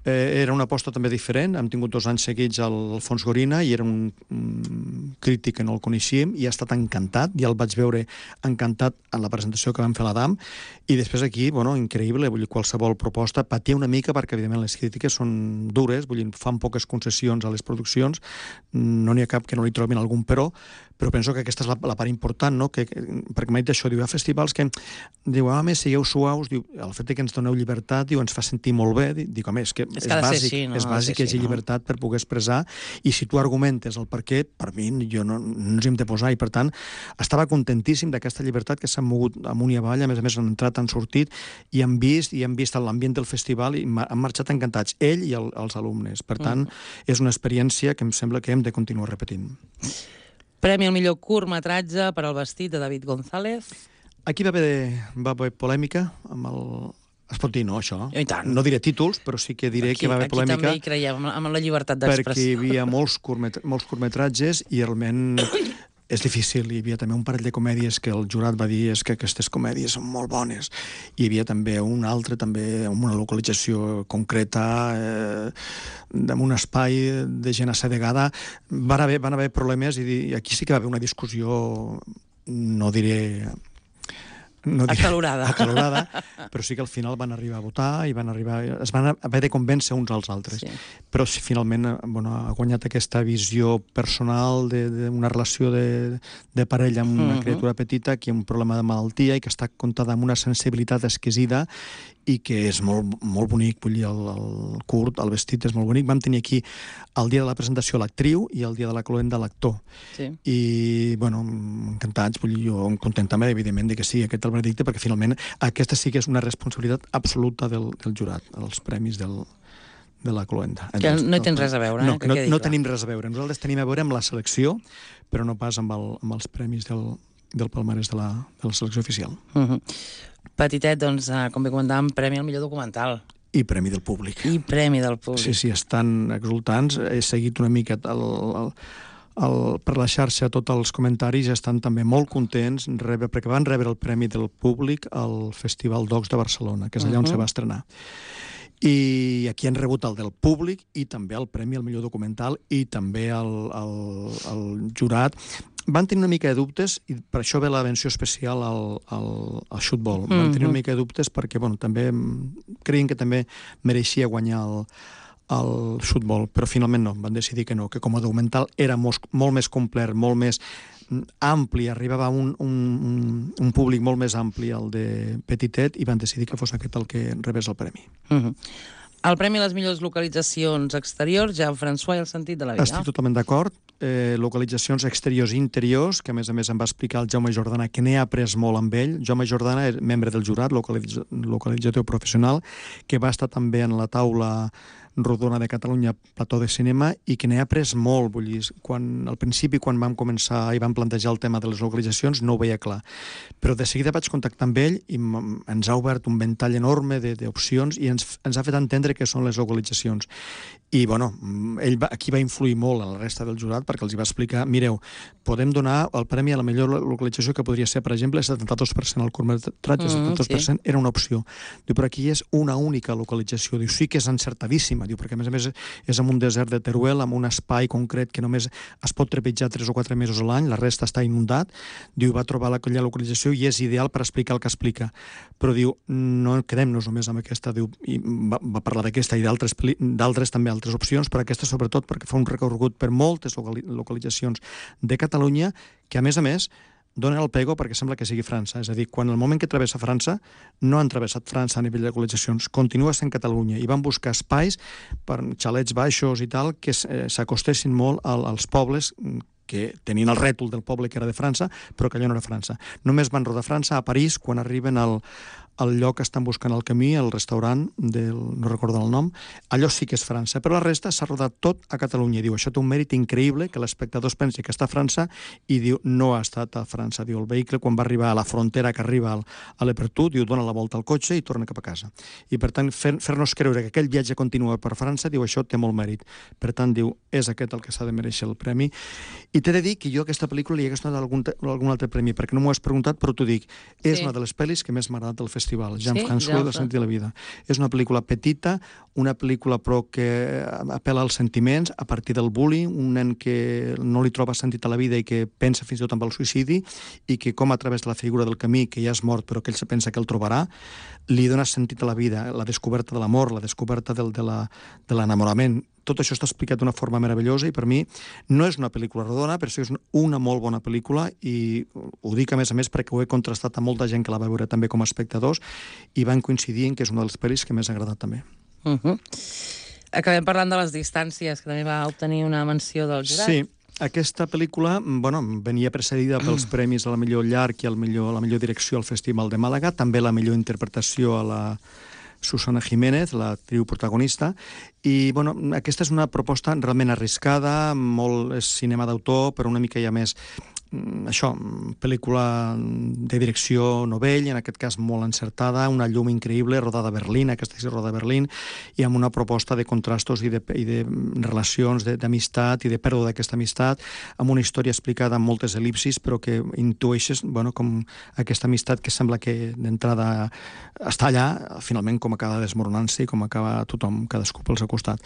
Era una aposta també diferent. Hem tingut 2 anys seguits al Fons Gorina i era un crític que no el coneixíem i ha estat encantat. Ja el vaig veure encantat en la presentació que vam fer a l'Adam i després aquí, increïble, vull dir, qualsevol proposta patia una mica perquè, evidentment, les crítiques són dures, vull dir, fan poques concessions a les produccions, no n'hi ha cap que no li trobin algun però penso que aquesta és la part important, no? Perquè m'ha dit això, diu, hi ha festivals que diu, més sigueu suaus, diu, el fet que ens doneu llibertat, diu, ens fa sentir molt bé, dic, home, és que és bàsic que hi hagi llibertat per poder expressar, i si tu argumentes el per què, per mi, jo no ens hi hem de posar, i per tant, estava contentíssim d'aquesta llibertat que s'han mogut amunt i avall, a més han entrat, han sortit, i han vist l'ambient del festival, i han marxat encantats, ell i els alumnes. Per tant, és una experiència que em sembla que hem de continuar repetint. Premi al millor curtmetratge per al vestit de David González. Aquí va haver polèmica amb el... Es pot dir, no, això? I tant. No diré títols, però sí que diré que va haver polèmica. Aquí també hi creiem, amb la llibertat d'expressió. Perquè hi havia molts curtmetratges i realment és difícil. Hi havia també un parell de comèdies que el jurat va dir és que aquestes comèdies són molt bones. Hi havia també un altre, també amb una localització concreta, amb un espai de gent assedegada. Van haver problemes i aquí sí que va haver una discussió, no diré acalorada, però sí que al final van arribar a votar i es van haver de convèncer uns als altres. Però si finalment ha guanyat aquesta visió personal d'una relació de parella amb una criatura petita que hi ha un problema de malaltia i que està contada amb una sensibilitat exquisida i que és molt, molt bonic, vull dir, el curt, el vestit és molt bonic. Vam tenir aquí el dia de la presentació l'actriu i el dia de la cloenda l'actor. I, encantats, vull dir, jo content també, evidentment, que sigui aquest el veredicte, perquè finalment aquesta sí que és una responsabilitat absoluta del jurat, els premis de la cloenda. Que no hi tens res a veure, no tenim res a veure. Nosaltres tenim a veure amb la selecció, però no pas amb els premis del palmarès de la selecció oficial. Petitet, doncs, com bé comentàvem, premi al millor documental. I premi del públic. Sí, estan exultants. He seguit una mica per la xarxa tots els comentaris, estan també molt contents perquè van rebre el premi del públic al Festival Docs de Barcelona, que és allà on se va estrenar. I aquí han rebut el del públic i també el premi al millor documental i també el jurat. Van tenir una mica de dubtes, i per això ve la menció especial al xutbol. Van tenir una mica de dubtes perquè també creien que també mereixia guanyar el xutbol, però finalment no, van decidir que no, que com a documental era molt més complet, molt més ampli, arribava a un públic molt més ampli, el de Petitet, i van decidir que fos aquest el que rebés el premi. El premi a les millors localitzacions exteriors, Jean-François i el sentit de la vida. Estic totalment d'acord. Localitzacions exteriors i interiors, que a més em va explicar el Jaume Jordana, que n'he après molt amb ell. Jaume Jordana és membre del jurat, localitzador professional, que va estar també en la taula rodona de Catalunya, plató de cinema, i que n'he après molt. Vull dir, al principi, quan vam començar i vam plantejar el tema de les localitzacions, no ho veia clar. Però de seguida vaig contactar amb ell i ens ha obert un ventall enorme d'opcions i ens ha fet entendre què són les localitzacions. I, ell aquí va influir molt a la resta del jurat perquè els hi va explicar, mireu, podem donar el premi a la millor localització que podria ser, per exemple, el 72% al curtmetratge, el 72% era una opció. Diu, però aquí és una única localització. Diu, sí que és encertadíssima, diu, perquè a més és en un desert de Teruel, amb un espai concret que només es pot trepitjar 3 o 4 mesos a l'any, la resta està inundat. Diu, va trobar aquella localització i és ideal per explicar el que explica. Però diu, no quedem-nos només amb aquesta. Diu, i va parlar d'aquesta i d'altres també, altres opcions, però aquesta sobretot perquè fa un recorregut per moltes localitzacions de Catalunya que, a més, donen el pego perquè sembla que sigui França. És a dir, quan el moment que travessa França, no han travessat França a nivell de localitzacions, continua sent Catalunya, i van buscar espais per xalets baixos i tal que s'acostessin molt als pobles que tenien el rètol del poble que era de França, però que allò no era França. Només van rodar França a París quan arriben al lloc que estan buscant al camí, el restaurant, no recordo el nom, allò sí que és França, però la resta s'ha rodat tot a Catalunya. Diu, això té un mèrit increïble, que l'espectador es pensi que està a França, i diu, no ha estat a França. Diu, el vehicle, quan va arribar a la frontera que arriba a l'Apertú, diu, dona la volta al cotxe i torna cap a casa. I, per tant, fer-nos creure que aquell viatge continua per França, diu, això té molt mèrit. Per tant, diu, és aquest el que s'ha de mereixer el premi. I t'he de dir que jo a aquesta pel·lícula li hagués donat algun altre premi, perquè no m'ho has preguntat, però t'ho dic, és una de les pel·lis que més m'ha agradat del festival. Jean-François, El sentit de la vida. És una pel·lícula petita, una pel·lícula però que apel·la als sentiments a partir del bullying, un nen que no li troba sentit a la vida i que pensa fins i tot en el suïcidi, i que com a través de la figura del camí, que ja és mort però que ell se pensa que el trobarà, li dona sentit a la vida, la descoberta de l'amor, la descoberta de l'enamorament. Tot això està explicat d'una forma meravellosa i per mi no és una pel·lícula rodona, però sí és una molt bona pel·lícula, i ho dic a més perquè ho he contrastat amb molta gent que la va veure també com a espectadors i van coincidir en que és una de les pel·lis que més ha agradat també. Acabem parlant de les distàncies, que també va obtenir una menció del jurat. Sí, aquesta pel·lícula venia precedida pels premis a la millor llarg i a la millor direcció al Festival de Màlaga, també la millor interpretació a la Susana Jiménez, l'actriu protagonista, i aquesta és una proposta realment arriscada, molt cinema d'autor, però una mica ja més pel·lícula de direcció novell, en aquest cas molt encertada, una llum increïble, rodada a Berlín, aquesta és rodada a Berlín, i amb una proposta de contrastos i de relacions d'amistat i de pèrdua d'aquesta amistat, amb una història explicada amb moltes el·lipsis, però que intueixes com aquesta amistat que sembla que d'entrada està allà, finalment com acaba desmoronant-se i com acaba tothom, cadascú pel seu costat.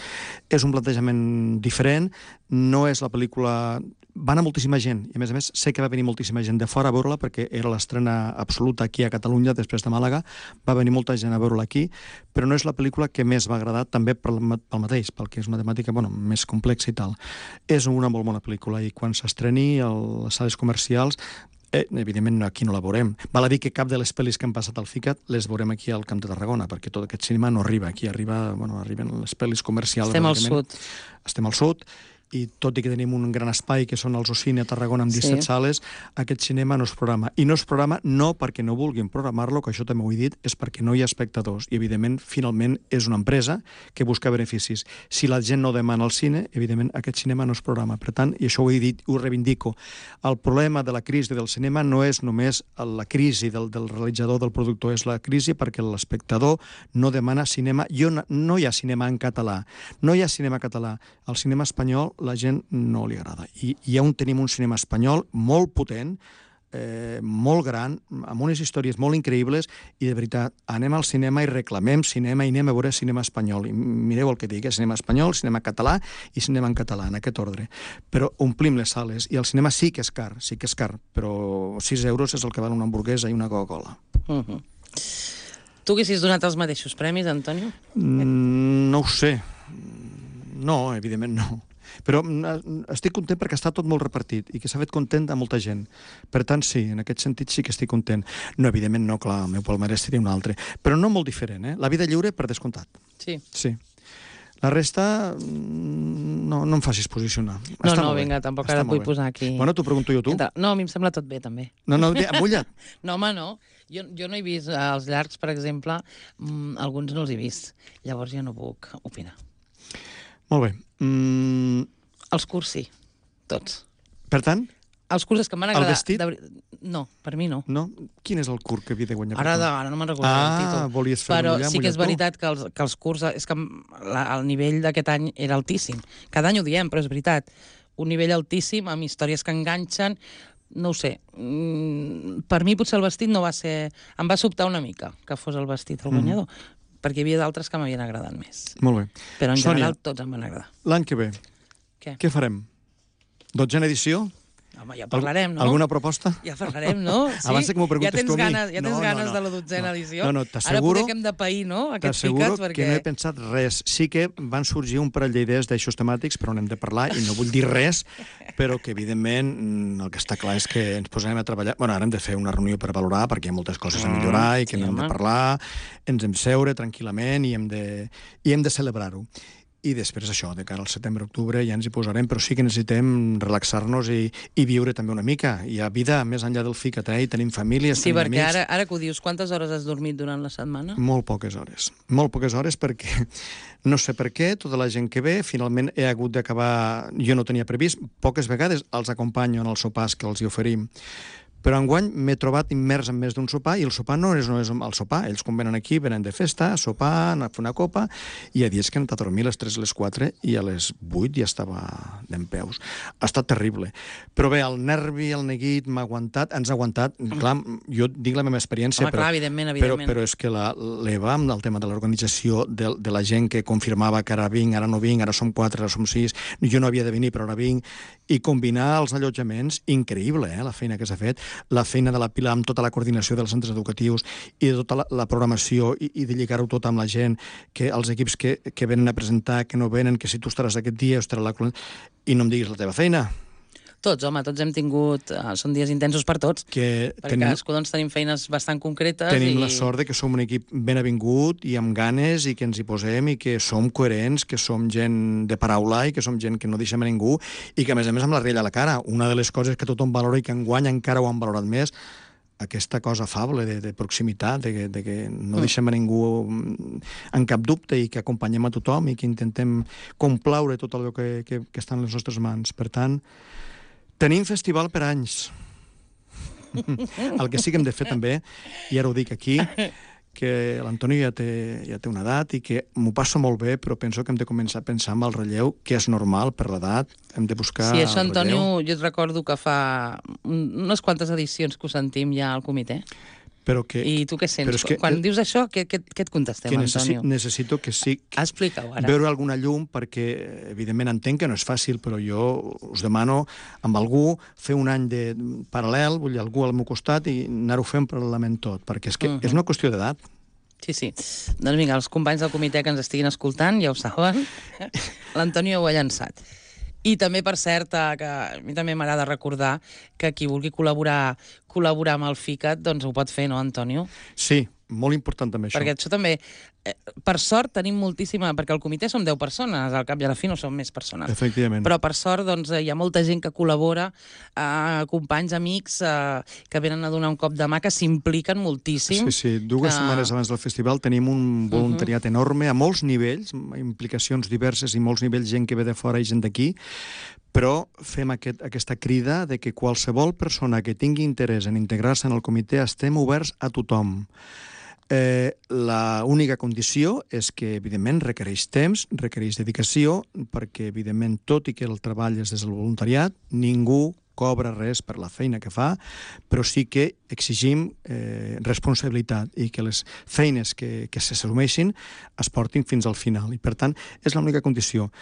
És un plantejament diferent, no és la pel·lícula... Va anar moltíssima gent, i a més sé que va venir moltíssima gent de fora a veure-la perquè era l'estrena absoluta aquí a Catalunya després de Màlaga, va venir molta gent a veure-la aquí, però no és la pel·lícula que més m'ha agradat, també pel mateix, perquè és una temàtica més complexa i tal. És una molt bona pel·lícula, i quan s'estreni a les sales comercials, evidentment aquí no la veurem. Val a dir que cap de les pel·lis que han passat al FICAT les veurem aquí al Camp de Tarragona, perquè tot aquest cinema no arriba aquí, arriben les pel·lis comercials. Estem al sud. Estem al sud, i tot i que tenim un gran espai que són els Ocine a Tarragona amb 17 sales, aquest cinema no es programa. I no es programa no perquè no vulguin programar-lo, que això també ho he dit, és perquè no hi ha espectadors. I, evidentment, finalment, és una empresa que busca beneficis. Si la gent no demana el cine, evidentment, aquest cinema no es programa. Per tant, i això ho he dit, ho reivindico, el problema de la crisi del cinema no és només la crisi del realitzador, del productor, és la crisi perquè l'espectador no demana cinema. No hi ha cinema en català. No hi ha cinema català. El cinema espanyol la gent no li agrada. I ja tenim un cinema espanyol molt potent, molt gran, amb unes històries molt increïbles, i de veritat, anem al cinema i reclamem cinema i anem a veure cinema espanyol. I mireu el que dic, cinema espanyol, cinema català i cinema en català, en aquest ordre. Però omplim les sales, i el cinema sí que és car, però 6 euros és el que val una hamburguesa i una Coca-Cola. Tu haguessis donat els mateixos premis, Antonio? No ho sé. No, evidentment no. Però estic content perquè està tot molt repartit i que s'ha fet content a molta gent. Per tant, sí, en aquest sentit sí que estic content. No, evidentment no, clar, el meu palmarès seria un altre. Però no molt diferent, La vida lliure, per descomptat. Sí. Sí. La resta, no em facis posicionar. No, vinga, tampoc ara et vull posar aquí... Bueno, t'ho pregunto jo, tu. No, a mi em sembla tot bé, també. No, mulla't. No, home, no. Jo no he vist els llargs, per exemple, alguns no els he vist. Llavors ja no puc opinar. Molt bé. Els curts sí, tots. Per tant? Els curts és que m'han agradat... El vestit? No, per mi no. No? Quin és el curt que havia de guanyar? Ara no me'n recordo el títol. Volies fer però sí que és veritat que els curts... És que el nivell d'aquest any era altíssim. Cada any ho diem, però és veritat. Un nivell altíssim, amb històries que enganxen... No ho sé. Per mi potser el vestit no va ser... Em va sobtar una mica que fos el vestit el guanyador. Perquè hi havia d'altres que m'havien agradat més. Molt bé. Però en general tots em van agradar. L'any que ve, què farem? 12a edició? Home, ja parlarem, no? Alguna proposta? Ja parlarem, no? Sí? Abans que m'ho preguntes tu a mi. Ja tens ganes de la 12a edició? No, Ara potser que hem de pair, no? Aquests picats, perquè... que no he pensat res. Sí que van sorgir un parell d'idees d'eixos temàtics, però n'hem de parlar, i no vull dir res, però que, evidentment, el que està clar és que ens posarem a treballar. Bueno, ara hem de fer una reunió per valorar, perquè hi ha moltes coses a millorar i que n'hem de parlar, ens hem seure tranquil·lament i hem de celebrar-ho. I després això, de cara al setembre-octubre ja ens hi posarem, però sí que necessitem relaxar-nos i viure també una mica. Hi ha vida més enllà del ficat, i tenim famílies, sí, tenim amics... Sí, perquè ara que ho dius, quantes hores has dormit durant la setmana? Molt poques hores perquè no sé per què, tota la gent que ve, finalment he hagut d'acabar... Jo no tenia previst, poques vegades els acompanyo en els sopars que els hi oferim, però enguany m'he trobat immers en més d'un sopar, i el sopar no és només el sopar. Ells, quan venen aquí, venen de festa, a sopar, a fer una copa, i hi ha dies que han anat a dormir a les 3, a les 4, i a les 8 ja estava dempeus. Ha estat terrible. Però bé, el nervi, el neguit, m'ha aguantat, ens ha aguantat. Clar, jo dic la meva experiència, clar, evidentment. Però és que l'Eva, amb el tema de l'organització, de la gent que confirmava que ara vinc, ara no vinc, ara som 4, ara som 6, jo no havia de venir, però ara vinc, i combinar els allotjaments, increïble, la feina que s'ha fet, la feina de la Pilar amb tota la coordinació dels centres educatius i de tota la programació i de lligar-ho tot amb la gent, que els equips que venen a presentar, que no venen, que si tu estaràs aquest dia, i no em diguis la teva feina. Tots, home, tots hem tingut... són dies intensos per tots, perquè cadascú doncs, tenim feines bastant concretes. Tenim la sort de que som un equip ben avingut i amb ganes i que ens hi posem i que som coherents, que som gent de paraula i que som gent que no deixem a ningú i que, a més amb la rialla a la cara. Una de les coses que tothom valora i que enguany encara ho han valorat més, aquesta cosa afable de proximitat, de que no deixem a ningú en cap dubte i que acompanyem a tothom i que intentem complaure tot allò que està en les nostres mans. Per tant, tenim festival per anys. El que sí que hem de fer també, i ara ho dic aquí, que l'Antoni ja té una edat i que m'ho passo molt bé, però penso que hem de començar a pensar en el relleu, que és normal per l'edat, hem de buscar el relleu. Sí, això, Antonio, jo et recordo que fa unes quantes edicions que ho sentim ja al comitè. I tu què sents? Quan dius això, què et contestem, Antonio? Necessito que sí... Explica-ho ara. Veure alguna llum, perquè, evidentment, entenc que no és fàcil, però jo us demano amb algú fer un any de paral·lel, vull dir, algú al meu costat, i anar-ho fent paral·lelament tot, perquè és que és una qüestió d'edat. Sí. Doncs vinga, els companys del comitè que ens estiguin escoltant, ja ho saben, l'Antonio ho ha llançat. I també, per cert, que a mi també m'agrada recordar que qui vulgui col·laborar amb el FICAT, doncs ho pot fer, no, Antonio? Sí, molt important també això. Perquè això també, per sort, tenim moltíssima... Perquè al comitè som 10 persones, al cap i a la fi no som més persones. Efectivament. Però per sort, doncs, hi ha molta gent que col·labora, companys, amics, que venen a donar un cop de mà, que s'impliquen moltíssim. Sí, 2 setmanes abans del festival tenim un voluntariat enorme, a molts nivells, implicacions diverses i molts nivells, gent que ve de fora i gent d'aquí, però fem aquesta crida de que qualsevol persona que tingui interès en integrar-se en el comitè estem oberts a tothom. La única condició és que, evidentment, requereix temps, requereix dedicació, perquè, evidentment, tot i que el treball és des del voluntariat, ningú cobra res per la feina que fa, però sí que exigim responsabilitat i que les feines que s'assumeixin es portin fins al final. I, per tant, és l'única condició.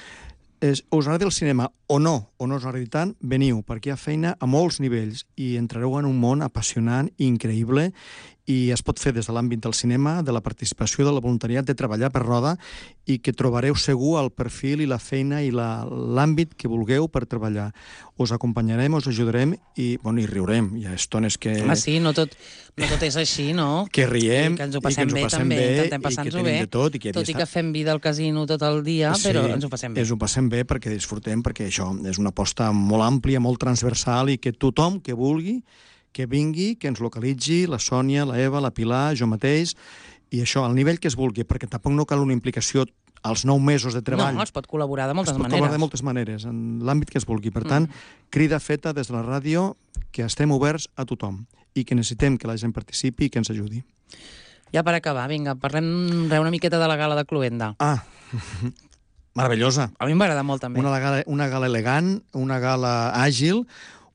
Us agrada el cinema o no us agradi tant, veniu, perquè hi ha feina a molts nivells i entrareu en un món apassionant i increïble i es pot fer des de l'àmbit del cinema, de la participació, de la voluntariat, de treballar per roda i que trobareu segur el perfil i la feina i l'àmbit que vulgueu per treballar. Us acompanyarem, us ajudarem i riurem. Hi ha estones que... Home, sí, no tot és així, no? Que riem i que ens ho passem bé, també, intentem passar-nos bé. Tot i que fem vida al casino tot el dia, però ens ho passem bé. Ens ho passem bé perquè disfrutem, perquè això és una aposta molt àmplia, molt transversal i que tothom que vulgui que vingui, que ens localitzi, la Sònia, la Eva, la Pilar, jo mateix, i això, al nivell que es vulgui, perquè tampoc no cal una implicació als 9 mesos de treball. No, es pot col·laborar de moltes maneres. Es pot col·laborar de moltes maneres, en l'àmbit que es vulgui. Per tant, crida feta des de la ràdio que estem oberts a tothom i que necessitem que la gent participi i que ens ajudi. Ja per acabar, vinga, parlem una miqueta de la gala de Cluenda. Meravellosa. A mi m'agrada molt, també. Una gala elegant, una gala àgil,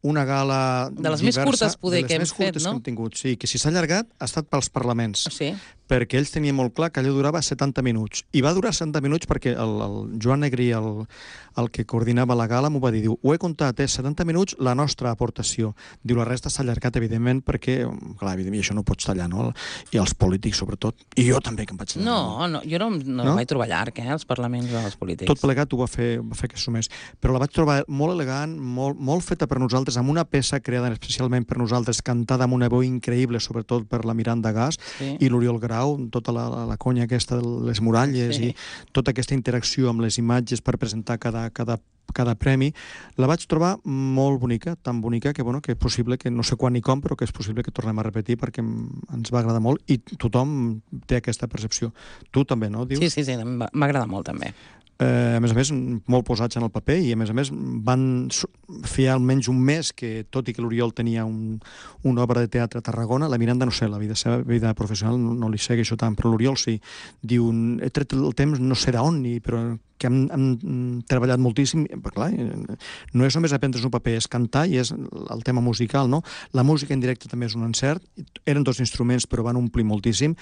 una gala de les diversa, més curtes, poder, que hem fet, no? Que hem tingut, sí, que si s'ha allargat ha estat pels parlaments. Sí. perquè ells tenien molt clar que allò durava 70 minuts. I va durar 70 minuts perquè el Joan Negrí, el que coordinava la gala, m'ho va dir, diu, ho he comptat, 70 minuts la nostra aportació. Diu, la resta s'ha allargat, evidentment, perquè, clar, evidentment, això no ho pots tallar, no? I els polítics, sobretot. I jo també, que em vaig tallar. No, jo no vaig trobar llarg, els parlaments o els polítics. Tot plegat ho va fer que sumés. Però la vaig trobar molt elegant, molt feta per nosaltres, amb una peça creada especialment per nosaltres, cantada amb una veu increïble, sobretot per la Miranda Gas i l'Oriol Grau, tota la conya aquesta de les muralles i tota aquesta interacció amb les imatges per presentar cada premi, la vaig trobar molt bonica, tan bonica que, bueno, que és possible que, no sé quan ni com, però que és possible que tornem a repetir perquè ens va agradar molt i tothom té aquesta percepció. Tu també, no? Dius? Sí, m'agrada molt també. A més, molt posats en el paper i, a més, van fer almenys un mes que, tot i que l'Oriol tenia una obra de teatre a Tarragona, la Miranda, no sé, la vida professional no li segueixo tant, però l'Oriol sí. Diu, he tret el temps, no sé d'on, però que hem treballat moltíssim, perquè clar, no és només aprendre's un paper, és cantar i és el tema musical, no? La música en directe també és un encert, eren 2 instruments però van omplir moltíssim,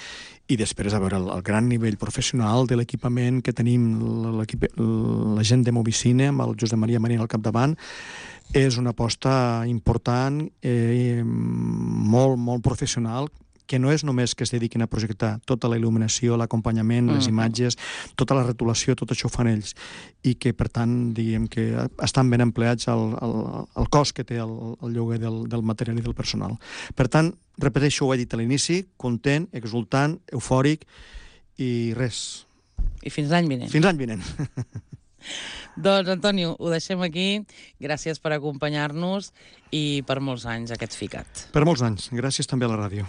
i després, a veure, el gran nivell professional de l'equipament que tenim, la gent de Movicine, amb el Josep Maria Marín al capdavant, és una aposta important, molt professional, que no és només que es dediquin a projectar tota la il·luminació, l'acompanyament, les imatges, tota la retolació, tot això ho fan ells. I que, per tant, diguem que estan ben empleats el cost que té el lloguer del material i del personal. Per tant, repeteixo, ho he dit a l'inici, content, exultant, eufòric i res. I fins l'any vinent. Fins l'any vinent. Doncs, Antonio, ho deixem aquí. Gràcies per acompanyar-nos i per molts anys aquest FICAT. Per molts anys. Gràcies també a la ràdio.